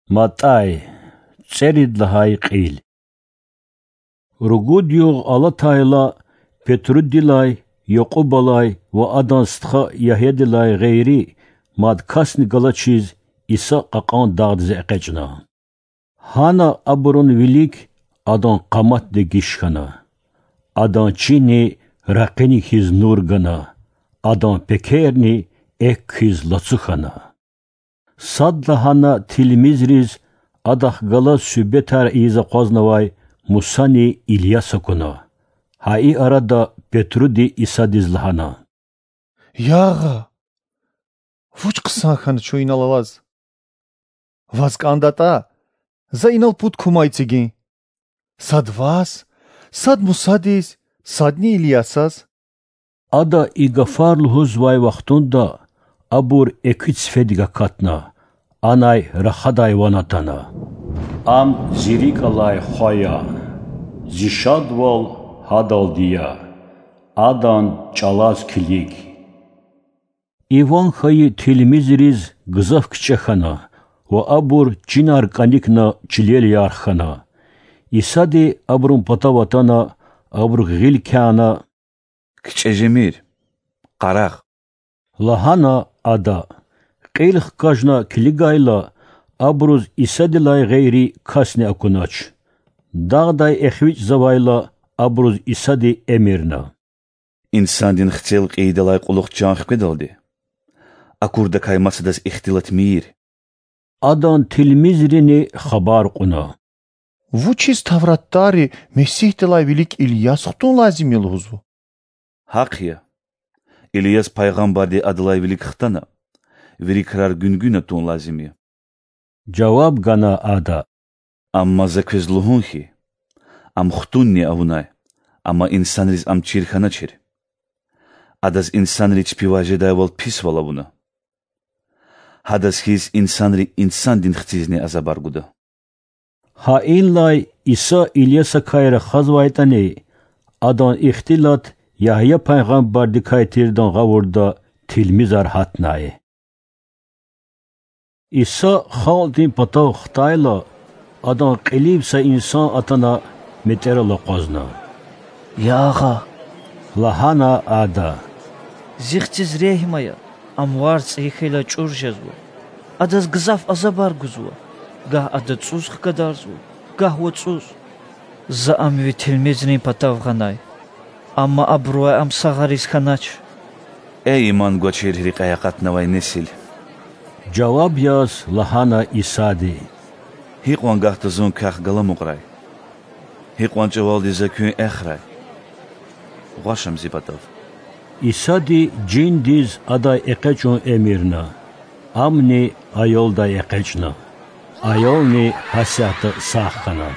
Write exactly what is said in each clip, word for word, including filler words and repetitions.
МатӀай. ЦӀерид лагьай кьил. Ругуд югъ алатайла, Петрудилай, Якьубалай ва адан стха Ягьядилай гъейри мад касни галачиз, Иса кьакьан дагъдиз экъечӀна. Гьана абурун вилик Адан къамат дегиш хьана. Адан чини ракъини хьиз нур гана, Адан пекерни экв хьиз лацу хьана. Садлагьана тилмизриз Адахъ галаз суьгьбетар ийиз акъвазнавай Мусани Ильяс акуна. Гьа и арада Петруди Исадиз лагьана: Я Агъа! Вуч хъсан хьана чун инал алаз! Ваз кӀандатӀа, за инал пуд кума эцигин: сад Ваз, сад Мусадиз, садни Ильясаз. Ада и гафар лугьузвай вахтунда абур экуь цифедик акатна, анай рахадай ван атана: Ам Зи рикӀ алай Хва я, Зи шадвал Гьадалди я, Адан чӀалаз килиг. И ван хьайи тилмизриз гзаф кичӀе хьана ва абур чинар кӀаникна чилел ярх хьана. Исади абурун патав атана, абурук гъил кяна: КичӀе жемир, къарагъ! лагьана Ада. Кьил хкажна килигайла, абуруз Исадилай гъейри касни акунач. Дагъдай эхвичӀзавайла, абуруз Исади эмирна: Инсандин Хцел кьейидалай кьулухъ чан хкведалди акурдакай маса адаз ихтилат мийир. Адан тилмизрини хабар кьуна: Вучиз тавратдарри Месигьдилай вилик Ильяс хтун лазим я лугьузва? Гьахъ я, Ильяс пайгъамбарди адалай вилик хтана, вири крар гуьнгуьна тун лазим я. жаваб гана Ада. Амма За квез лугьун хьи, ам хтунни авунай, амма инсанриз ам чир хьаначир. Адаз инсанри чпивай жедайвал писвал авуна. Гьадаз хьиз инсанри Инсандин Хцизни азабар гуда. Гьа инлай Иса Ильясакай рахазвайтӀани, Адан ихтилат Ягья пайгъамбардикай тирдан гъавурда тилмизар гьатнай. Иса халкьдин патав хтайла, Адан кьилив са инсан атана метӀерал акъвазна. Я Агъа, лагьана ада, зи хциз регьим ая, ам варз цӀийи хьайила чӀур жезва. Адаз гзаф азабар гузва, гагь ада цӀуз хкадарзава, гагь вацӀуз. За ам ви тилмизрин патав гъанай, амма абурувай ам сагъариз хьанач. Эй иман гвачир рекьяй акъатнавай несил! жаваб яз лагьана Исади. Гьикьван гагьда Зун квехъ галамукьрай? Гьикьван чӀавалди За куьн эхрай? Гъваш ам Зи патав. Исади жиндиз адай экъечӀун эмирна. Амни аялдай экъечӀна. Аялни гьасятда сагъ хьана.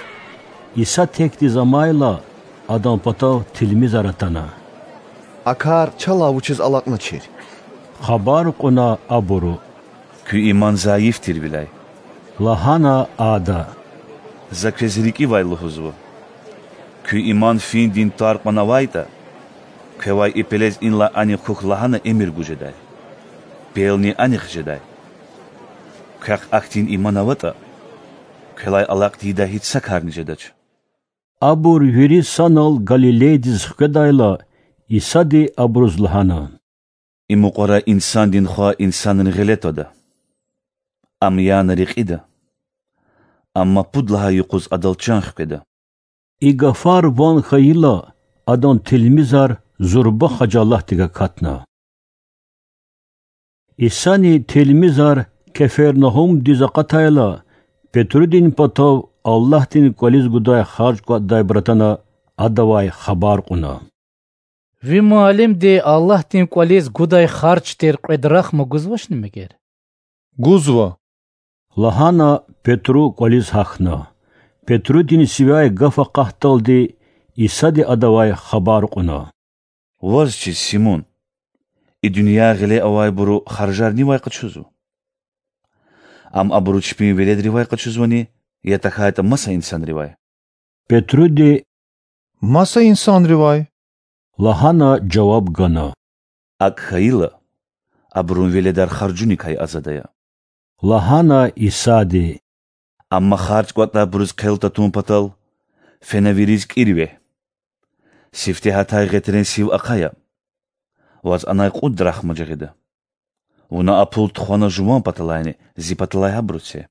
Иса текдиз амайла, Адан патав тилмизар атана. А кар чалай вучиз алакьначир? хабар кьуна абуру. Куь иман зайиф тирвиляй, лагьана ада. За квез рикӀивай лугьузва: куь иман финдин твар кьван авайтӀа, квевай и пелез инлай анихъ хьухь лагьана эмир гуз жедай, пелни анихъ жедай. Квехъ ахьтин иман аватӀа, квелай алакь тийидай гьич са карни жедач. Абур вири санал Галилейдиз хкведайла, Исади абуруз лагьана. И мукьвара Инсандин Хва инсанрин гъиле твада. Ам яна рекьида, амма пуд лагьай юкъуз Адал чан хкведа. И гафар ван хьайила, Адан тилмизар зурба хажалатдик акатна. Исани тилмизар Кефернагьумдиз акъатайла, Петрудин патав Аллагьдин кӀвализ гудай харж кӀватӀдайбур атана Адавай хабар кьуна. Ви муаллимди Аллагьдин кӀвализ гудай харж тир кьве драхма гузвачни мегер? Гузва, лагьана Петру кӀвализ гьахьна. Петрудин сивяй гаф акъатдалди Исади адавай хабар кьуна. Ваз чиз, Симун, и дуьнья гъиле авайбуру харжар нивай къачузва? Ам абуру чпин веледривай къачузвани, я тахьайтӀа маса инсанривай? Петруди, маса инсанривай, лагьана жаваб гана. АкӀ хьайила, абурун веледар харжуникай азад ая, лагьана Исади. Амма харж кӀватӀдайбуруз хъел татун патал, фена вириз кӀир вегь. Сифте гьатай гъетрен сив ахъая. Ваз анай кьуд драхма жагъида. Вуна а пул тухвана жуван паталайни зи паталай гьабуру це.